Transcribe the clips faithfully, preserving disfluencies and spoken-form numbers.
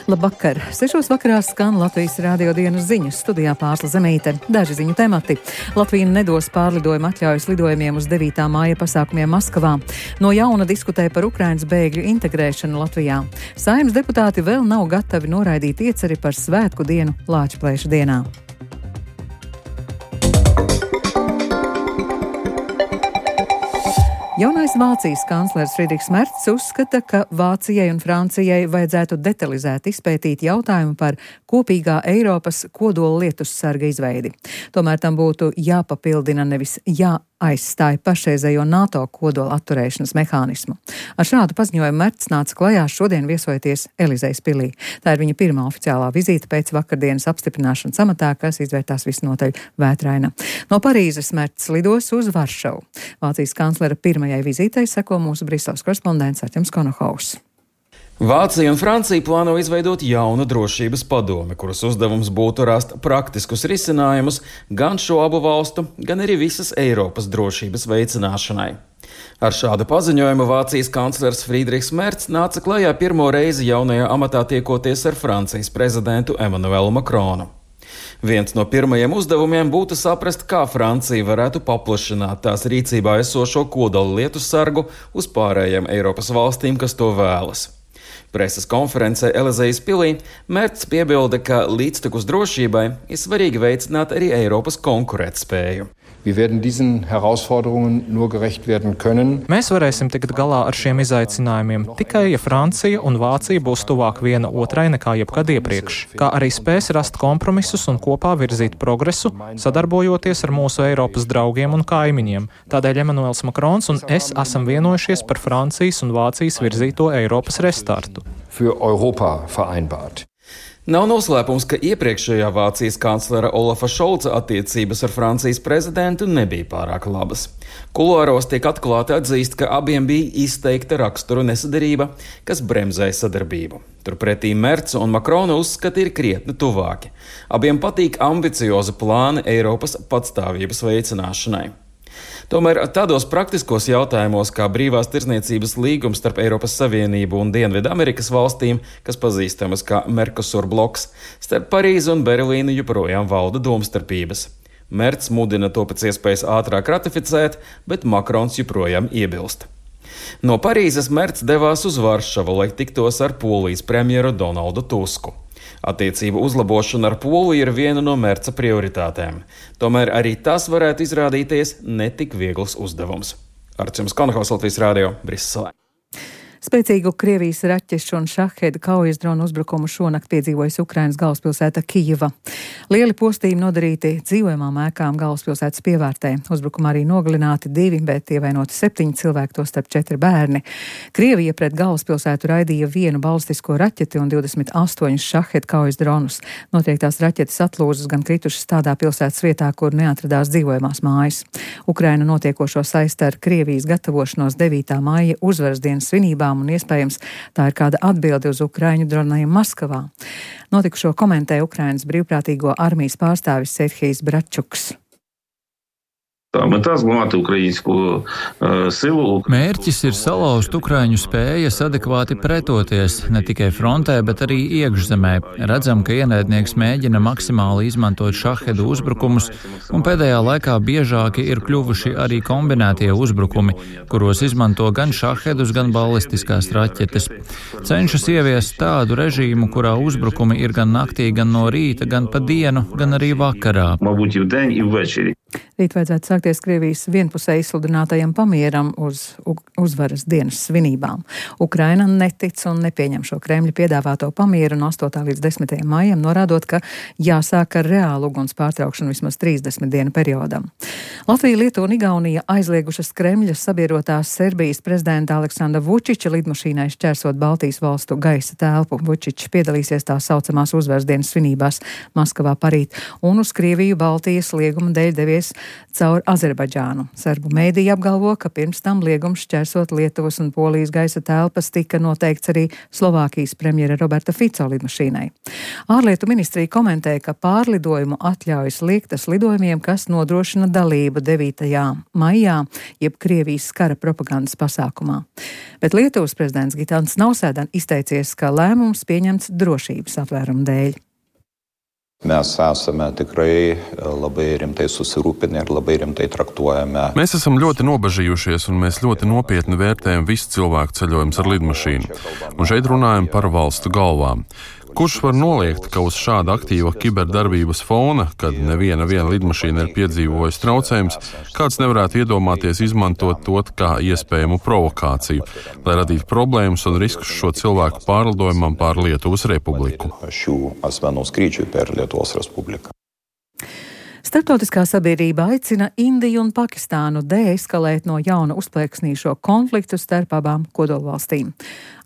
Labvakar! Sešos vakarā skan Latvijas radio dienas ziņas. Studijā Pārsla Zemīte. Daži ziņu temati. Latvija nedos pārlidojumu atļaujas lidojumiem uz devītā māja pasākumiem Maskavā. No jauna diskutē par Ukrainas bēgļu integrēšanu Latvijā. Saeimas deputāti vēl nav gatavi noraidīt ieceri par svētku dienu Lāčplēša dienā. Jaunais Vācijas kanclers Friedrichs Merts uzskata, ka Vācijai un Francijai vajadzētu detalizēt izpētīt jautājumu par kopīgā Eiropas kodola lietussarga izveidi. Tomēr tam būtu jāpapildina, nevis jāaizstāja pašreizējo NATO kodola atturēšanas mehānismu. Ar šādu paziņojumu Merts nāca klajā šodien viesojoties Elizejas pilī. Tā ir viņa pirmā oficiālā vizīte pēc vakardienas apstiprināšanas amatā, kas izvērtās visnotaļ vētraina. No Parīzes Merts lidos uz Varšavu. Vācijas kanclera pirmajai vizītei seko mūsu Briseles korespondents Artjums Konohaus. Vācija un Francija plāno izveidot jaunu drošības padomi, kuras uzdevums būtu rast praktiskus risinājumus gan šo abu valstu, gan arī visas Eiropas drošības veicināšanai. Ar šādu paziņojumu Vācijas kanclers Friedrichs Merts nāca klajā pirmo reizi jaunajā amatā tiekoties ar Francijas prezidentu Emmanuelu Macronu. Viens no pirmajiem uzdevumiem būtu saprast, kā Francija varētu paplašināt tās rīcībā esošo kodola lietussargu uz pārējiem Eiropas valstīm, kas to vēlas. Preses konferencē Elizejas pilī Merts piebilda, ka līdztekus drošībai ir svarīgi veicināt arī Eiropas konkurētspēju. Mēs varēsim tikt galā ar šiem izaicinājumiem tikai, ja Francija un Vācija būs tuvāk viena otrai nekā jebkad iepriekš, kā arī spēs rast kompromisus un kopā virzīt progresu, sadarbojoties ar mūsu Eiropas draugiem un kaimiņiem. Tādēļ Emmanuels Macrons un es esam vienojušies par Francijas un Vācijas virzīto Eiropas restartu. Nav noslēpums, ka iepriekšējā Vācijas kanclera Olafa Šolca attiecības ar Francijas prezidentu nebija pārāk labas. Kuluāros tiek atklāti atzīst, ka abiem bija izteikta rakstura nesaderība, kas bremzēja sadarbību. Turpretī Merts un Macrona uzskati ir krietni tuvāki. Abiem patīk ambiciozi plāni Eiropas patstāvības veicināšanai. Tomēr tādos praktiskos jautājumos, kā brīvās tirdzniecības līgums starp Eiropas Savienību un Dienvidu Amerikas valstīm, kas pazīstamas kā Mercosur bloks, starp Parīzi un Berlīnu joprojām valda domstarpības. Merts mudina to pēc iespējas ātrāk ratificēt, bet Macrons joprojām iebilst. No Parīzes Merts devās uz Varšavu, lai tiktos ar Polijas premjeru Donaldu Tusku. Attiecību uzlabošana ar Poliju ir viena no Merca prioritātēm. Tomēr arī tas varētu izrādīties netik viegls uzdevums. Artjums Konohaus, Latvijas radio, Briselē. Spēcīgu Krievijas raķešu un šaheda kaujas dronu uzbrukumu šonakt piedzīvojas Ukrainas galvaspilsēta Kijeva. Lieli postījumi nodarīti dzīvojamām ēkām galvaspilsētas pievārtē. Uzbrukumā arī nogalināti divi, bet ievainoti septiņi cilvēki, to starp četri bērni. Krievija pret galvaspilsētu raidīja vienu balistisko raķeti un divdesmit astoņus šaheda kaujas dronus. Noteiktās raķetes atlūzas gan kritušas tādā pilsētas vietā, kur neatradās dzīvojamās mājas. Ukraina notiekošo saista ar Krievijas gatavošanos devītā māja uzvaras dienas svinībām, un iespējams tā ir kāda atbilde uz ukraiņu droniem Maskavā. Notikušo komentē Ukrainas brīvprātīgo armijas pārstāvis Serhijs Bratčuks. Mērķis ir salauzt ukraiņu spējas adekvāti pretoties, ne tikai frontē, bet arī iekšzemē. Redzam, ka ienaidnieks mēģina maksimāli izmantot šahedu uzbrukumus, un pēdējā laikā biežāki ir kļuvuši arī kombinētie uzbrukumi, kuros izmanto gan šahedus, gan ballistiskās raķetes. Cenšas ieviest tādu režīmu, kurā uzbrukumi ir gan naktī, gan no rīta, gan pa dienu, gan arī vakarā. Rīt vajadzētu sākties Krievijas vienpusēji izsludinātajam pamieram uz uzvaras dienas svinībām. Ukraina netic un nepieņem šo Kremļa piedāvāto pamieru no astotā līdz desmitajam maijam, norādot, ka jāsāk ar reālu uguns pārtraukšanu vismaz trīsdesmit dienu periodam. Latvija, Lietuva un Igaunija aizliegušas Kremļa sabiedrotās Serbijas prezidenta Aleksandra Vučiča lidmašīnai šķērsot Baltijas valstu gaisa telpu. Vučičs piedalīsies tā saucamās uzvaras dienas svinībās Maskavā parīt un uz Krieviju Baltijas lieguma dēļ devies caur Azerbaidžānu. Serbu mēdīji apgalvo, ka pirms tam liegums šķērsot Lietuvas un Polijas gaisa telpas tika noteikts arī Slovākijas premjera Roberta Fico lidmašīnai. Ārlietu ministrija komentēja, ka pārlidojumu atļaujas liektas lidojumiem, kas nodrošina dalību devītajā maijā, jeb Krievijas kara propagandas pasākumā. Bet Lietuvas prezidents Gitanas Nausēda izteicies, ka lēmums pieņemts drošības apvērumu dēļ. Mes esame tikrai labai rimtai susirūpinę ir labai rimtai traktuojame. Mēs esam ļoti nobažījušies un mēs ļoti nopietni vērtējam visu cilvēku ceļojumus ar lidmašīnu. Un šeit runājam par valstu galvām. Kurš var noliegt, ka uz šāda aktīva kiberdarbības fona, kad neviena viena lidmašīna ir piedzīvojusi traucējums, kāds nevarētu iedomāties izmantot to kā iespējamu provokāciju, lai radītu problēmas un riskus šo cilvēku pārlidojumam pār Lietuvas Republiku. Šių asmenų skrydžiui per Lietuvos Respubliką. Starptautiskā sabiedrība aicina Indiju un Pakistānu deeskalēt no jauna uzplaiksnīšo konfliktu starp abām kodolvalstīm.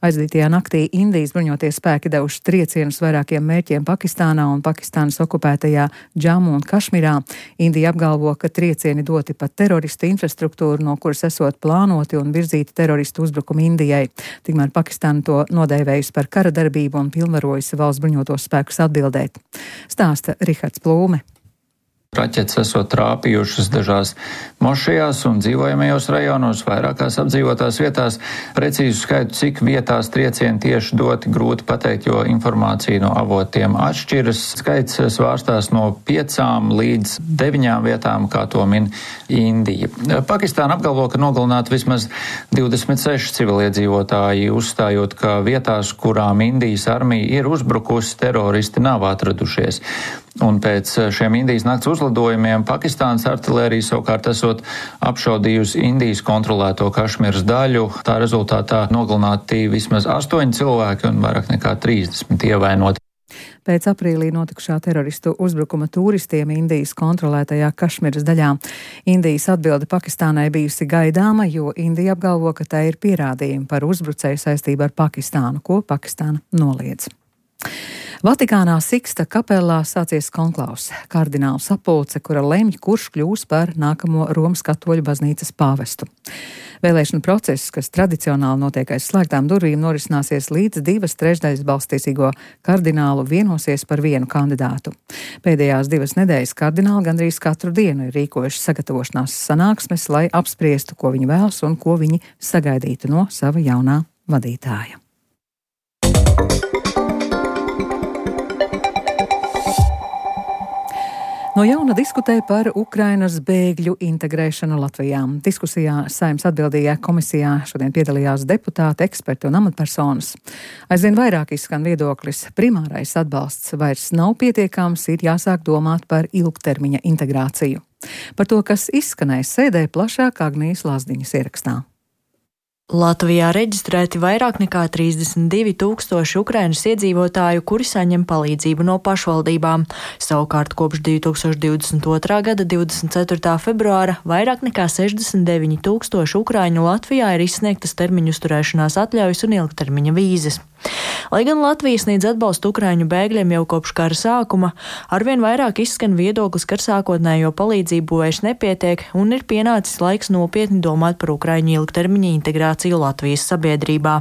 Aizdītajā naktī Indijas bruņoties spēki devuši triecienus vairākiem mērķiem Pakistānā un Pakistānas okupētajā Džamu un Kašmirā. Indija apgalvo, ka triecieni doti pa teroristu infrastruktūru, no kuras esot plānoti un virzīti teroristu uzbrukumi Indijai. Tikmēr Pakistāna to nodēvējusi par kara darbību un pilnvarojusi valsts bruņotos spēkus atbildēt. Stāsta Rihards Plūme. Raķetes esot trāpījušas dažās mošajās un dzīvojamajos rajonos, vairākās apdzīvotās vietās. Precīzu skaitu, cik vietās triecieni tieši doti, grūti pateikt, jo informācija no avotiem atšķiras. Skaits svārstās no piecām līdz deviņām vietām, kā to min Indija. Pakistāna apgalvo, ka nogalināti vismaz divdesmit seši civiliedzīvotāji, uzstājot, ka vietās, kurām Indijas armija ir uzbrukusi, teroristi nav atradušies. Un pēc šiem Indijas nakts uzlidojumiem Pakistānas artilērija savukārt esot apšaudījusi Indijas kontrolēto Kašmiras daļu. Tā rezultātā nogalināti vismaz astoņi cilvēki un vairāk nekā trīsdesmit ievainoti. Pēc aprīlī notikušā teroristu uzbrukuma turistiem Indijas kontrolētajā Kašmiras daļā. Indijas atbilde Pakistānai bijusi gaidāma, jo Indija apgalvo, ka tā ir pierādījumi par uzbrucēju saistību ar Pakistānu, ko Pakistāna noliedz. Vatikānā Siksta kapelā sācies konklaus, kardinālu sapulce, kura lemj, kurš kļūs par nākamo Romas katoļu baznīcas pāvestu. Vēlēšana process, kas tradicionāli notiek aiz slēgtām durvīm, norisināsies līdz divas trešdaļas balsstiesīgo kardinālu vienosies par vienu kandidātu. Pēdējās divas nedēļas kardināli gandrīz katru dienu ir rīkojuši sagatavošanās sanāksmes, lai apspriestu, ko viņi vēlas un ko viņi sagaidītu no sava jaunā vadītāja. No jauna diskutē par Ukrainas bēgļu integrēšanu Latvijā. Diskusijā Saeimas atbildīgajā komisijā šodien piedalījās deputāti, eksperti un amatpersonas. Aizvien vairāk izskan viedoklis, primārais atbalsts vairs nav pietiekams, ir jāsāk domāt par ilgtermiņa integrāciju. Par to, kas izskanēja sēdē, plašāk Agnijas Lazdiņas ierakstā. Latvijā reģistrēti vairāk nekā trīsdesmit divi tūkstoši Ukrainas iedzīvotāju, kuri saņem palīdzību no pašvaldībām. Savukārt kopš divi tūkstoši divdesmit otrā gada divdesmit ceturtā februāra vairāk nekā sešdesmit deviņi tūkstoši ukraiņu Latvijā ir izsniegtas termiņu uzturēšanās atļaujas un ilgtermiņa vīzes. Lai gan Latvija sniedz atbalstu ukraiņu bēgļiem jau kopš kara sākuma, arvien vairāk izskan viedoklis, ka ar sākotnējo palīdzību vairs nepietiek un ir pienācis laiks nopietni domāt par ukraiņu ilgtermiņa integrāciju Latvijas sabiedrībā.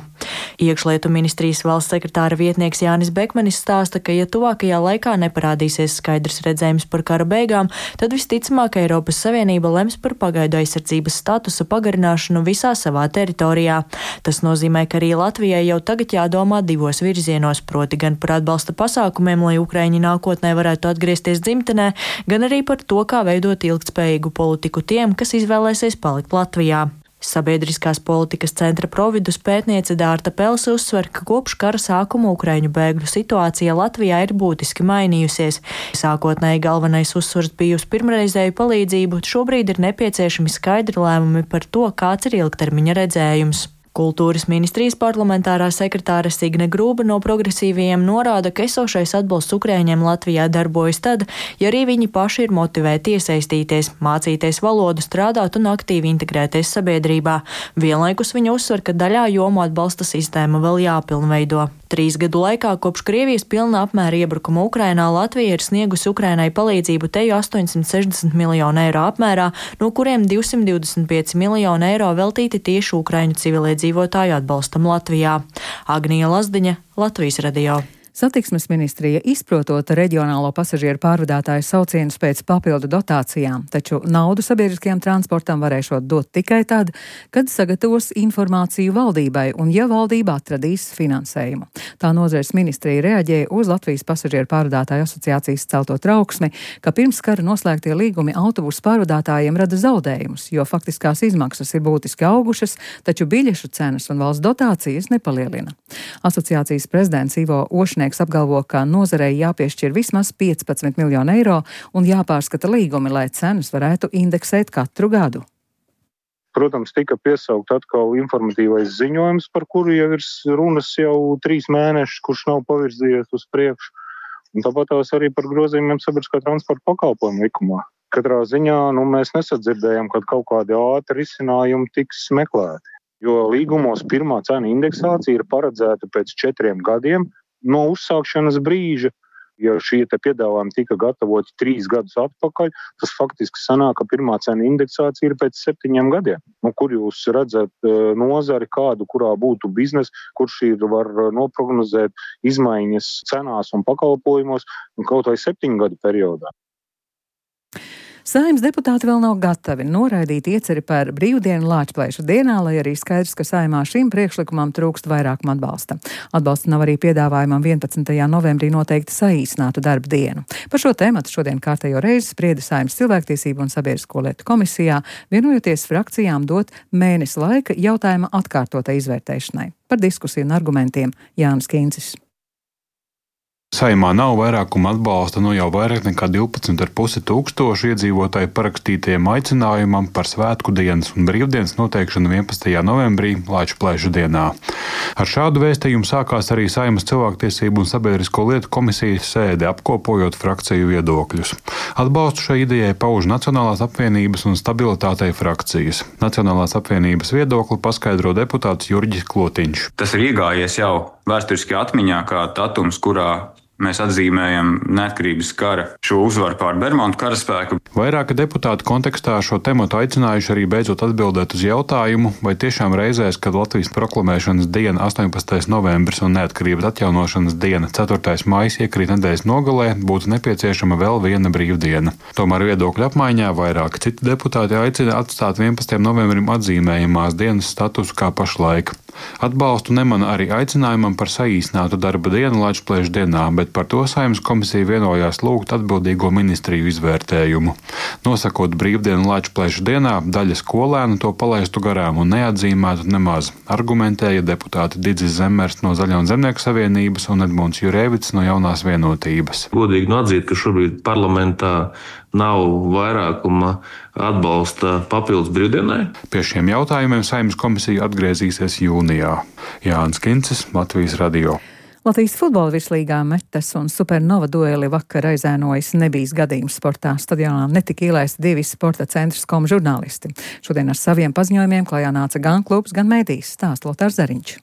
Iekšlietu ministrijas valsts sekretāra vietnieks Jānis Bekmanis stāsta, ka ja tuvākajā laikā neparādīsies skaidrs redzējums par kara beigām, tad visticamāk Eiropas Savienība lems par pagaidu aizsardzības statusa pagarināšanu visā savā teritorijā. Tas nozīmē, ka arī Latvijai jau tagad jādomā divos virzienos, proti gan par atbalsta pasākumiem, lai Ukraiņi nākotnē varētu atgriezties dzimtenē, gan arī par to, kā veidot ilgtspējīgu politiku tiem, kas izvēlēsies palikt Latvijā. Sabiedriskās politikas centra Providus pētniece Dārta Pelse uzsver, ka kopš kara sākuma Ukraiņu bēgļu situācija Latvijā ir būtiski mainījusies. Sākotnēji galvenais uzsvars bija uz pirmreizēju palīdzību, šobrīd ir nepieciešami skaidri lēmumi par to, kāds ir ilgtermiņa redzējums. Kultūras ministrijas parlamentārā sekretāre Signe Grūba no progresīvajiem norāda, ka esošais atbalsts Ukraiņiem Latvijā darbojas tad, ja arī viņi paši ir motivēti iesaistīties, mācīties valodu, strādāt un aktīvi integrēties sabiedrībā. Vienlaikus viņa uzsver, ka daļā jomu atbalsta sistēma vēl jāpilnveido. Trīs gadu laikā kopš Krievijas pilna apmēra iebrukuma Ukrainā Latvija ir sniegusi Ukrainai palīdzību teju astoņsimt sešdesmit miljonu eiro apmērā, no kuriem divsimt divdesmit pieci miljoni eiro veltīti tieši Ukraiņu civiliedzīvotāju atbalstam Latvijā. Agnija Lazdiņa, Latvijas radio. Satiksmes ministrija izprotot reģionālo pasažieru pārvadātāju saucienus pēc papildu dotācijām, taču naudu sabiedriskajam transportam varēšot dot tikai tad, kad sagatavos informāciju valdībai un ja valdība atradīs finansējumu. Tā nozares ministrija reaģēja uz Latvijas pasažieru pārvadātāju asociācijas celto trauksmi, ka pirms kara noslēgtie līgumi autobusu pārvadātājiem rada zaudējumus, jo faktiskās izmaksas ir būtiski augušas, taču biļešu cenas un valsts dotācijas nepalielina. Asociācijas prezidents Ivo Ošnieks apgalvo, ka nozarei jāpiešķir vismaz piecpadsmit miljonu eiro un jāpārskata līgumi, lai cenas varētu indeksēt katru gadu. Protams, tika piesaukt atkal informatīvais ziņojums, par kuru jau ir runas jau trīs mēnešus, kurš nav pavirzījies uz priekšu. Un tāpat tās arī par grozījumiem sabiedriskā transporta pakalpojumu likumā. Katrā ziņā nu, mēs nesadzirdējam, kad kaut kādi ātri risinājumi tiks meklēti. Jo līgumos pirmā cena indeksācija ir paredzēta pēc četriem gadiem, no uzsākšanas brīža. Ja šie te piedāvājumi tika gatavoti trīs gadus atpakaļ, tas faktiski sanāk, ka pirmā cena indeksācija ir pēc septiņiem gadiem. Nu, kur jūs redzat nozari kādu, kurā būtu biznes, kurš ir var noprognozēt izmaiņas cenās un pakalpojumos kaut vai septiņu gadu periodā. Saeimas deputāti vēl nav gatavi noraidīt ieceri par brīvdienu Lāčplēša dienā, lai arī skaidrs, ka Saeimā šim priekšlikumam trūkst vairākuma atbalsta. Atbalsta nav arī piedāvājumam vienpadsmitajā novembrī noteikti saīsinātu darba dienu. Par šo tēmatu šodien kārtējo reizi sprieda Saeimas cilvēktiesību un sabiedrisko lietu komisijā, vienojoties frakcijām dot mēnesi laika jautājuma atkārtotai izvērtēšanai. Par diskusiju un argumentiem Jānis Kīncis. Saeimā nav vairākuma atbalsta no jau vairāk nekā divpadsmit ar pusi tūkstošu iedzīvotāju parakstītajiem aicinājumam par svētku dienas un brīvdienas noteikšanu vienpadsmitajā novembrī Lāčplēša dienā. Ar šādu vēstījumu sākās arī Saeimas cilvēktiesību un sabiedrisko lietu komisijas sēde, apkopojot frakciju viedokļus. Atbalstu šai idejai pauž Nacionālās apvienības un stabilitātei frakcijas. Nacionālās apvienības viedokli paskaidro deputāts Jurģis Klotiņš. Tas ir iegājies jau vēsturiski atmiņā kā datums, kurā mēs atzīmējam neatkarības kara šo uzvaru pār Bermontu karaspēku. Vairāki deputāti kontekstā šo tematu aicinājuši arī beidzot atbildēt uz jautājumu, vai tiešām reizēs, kad Latvijas proklamēšanas diena astoņpadsmitais novembris un neatkarības atjaunošanas diena ceturtais maijs iekrīt nedēļas nogalē, būtu nepieciešama vēl viena brīvdiena. Tomēr viedokļu apmaiņā vairāki citi deputāti aicina atstāt vienpadsmitajam novembrim atzīmējamās dienas statusu kā pašlaik. Atbalstu nemana arī aicinājumam par saīsinātu darba dienu Lāčplēša dienā, bet par to Saeimas komisija vienojās lūgt atbildīgo ministriju izvērtējumu. Nosakot brīvdienu Lāčplēša dienā, daļa skolēnu to palaistu garām un neatzīmētu nemaz, argumentēja deputāti Didzis Zemmers no Zaļo un Zemnieku savienības un Edmunds Jurēvits no Jaunās vienotības. Godīgi nu atzīt, ka šobrīd parlamentā nav vairākuma atbalsta papildus brīvdienai. Pie šiem jautājumiem Saeimas komisija atgriezīsies jūnijā. Jānis Kincis, Latvijas radio. Latvijas futbola virslīgā Metas un Supernova dueli vakar aizēnojas nebijis gadījums sportā. Stadionā netika ielaisti divi sporta centrs kom žurnālisti. Šodien ar saviem paziņojumiem klajā nāca gan klubs, gan mēdījis, stāsta Lotārs Zariņš.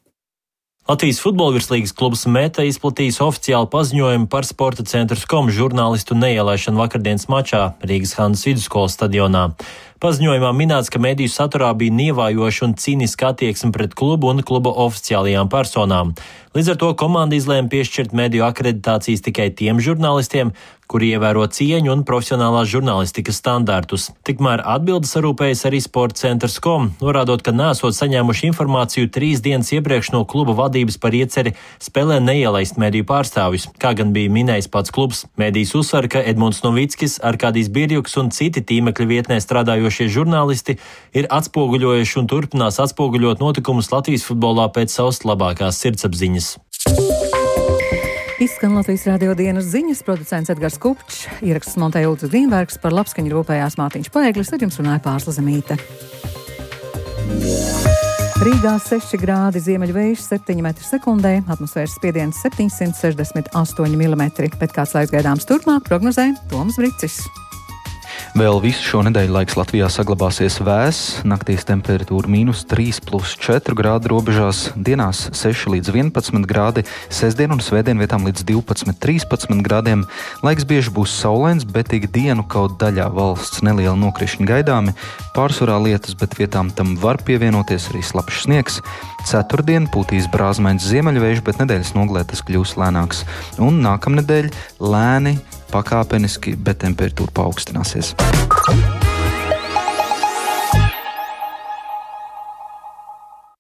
Latvijas futbola virslīgas klubs Meta izplatījis oficiālu paziņojumu par sporta centru kom žurnālistu neielaišanu vakardienas mačā Rīgas Hanzas vidusskolas stadionā. Paziņojumā minēts, ka mediju saturā bija nievājoša un cīniska attieksme pret klubu un kluba oficiālajām personām. Līdz ar to komanda izlēma piešķirt mediju akreditācijas tikai tiem žurnālistiem, kuri ievēro cieņu un profesionālās žurnālistikas standārtus. Tikmēr atbildes sarūpējas arī sporta centrs kom, norādot, ka nesot saņēmuši informāciju trīs dienas iepriekš no kluba vadības par ieceri spēlē neielaist mediju pārstāvjus, kā gan bija minējis pats klubs. Medijas uzsver, ka Edmunds Novickis, Arkādijs Birjuks un citi tīmekļa vietnē strādājošie žurnālisti ir atspoguļojuši un turpinās atspoguļot notikumus Latvijas futbolā pēc savas labākās sirdsapziņas. Izskan Latvijas radio dienas ziņas, producents Edgars Kupčs, ieraksts montēja Ulris Grīnbergs, par labskaņu rūpējās Mārtiņš Paeglis, ar jums runāja Pārsla Zemīte. Rīgā seši grādi, ziemeļvējš septiņi metri sekundē, atmosfēras spiediens septiņsimt sešdesmit astoņi milimetri, bet kāds laiks gaidāms turpmāk prognozē Toms Bricis. Vēl visu šo nedēļu laiks Latvijā saglabāsies vēss, naktīs temperatūra mīnus trīs plus četri grādi robežās, dienās seši līdz vienpadsmit grādi, sestdien un svētdien vietām līdz divpadsmit trīspadsmit grādiem. Laiks bieži būs saulains, bet ik dienu kaut daļā valsts neliela nokrišņa gaidāmi, pārsvarā lietus, bet vietām tam var pievienoties arī slapjš sniegs. Ceturtdien pūtīs brāzmains ziemeļvējš, bet nedēļas nogalē tas kļūs lēnāks. Un nākamnedēļ lēni, pakāpeniski, bet temperatūra paaugstināsies.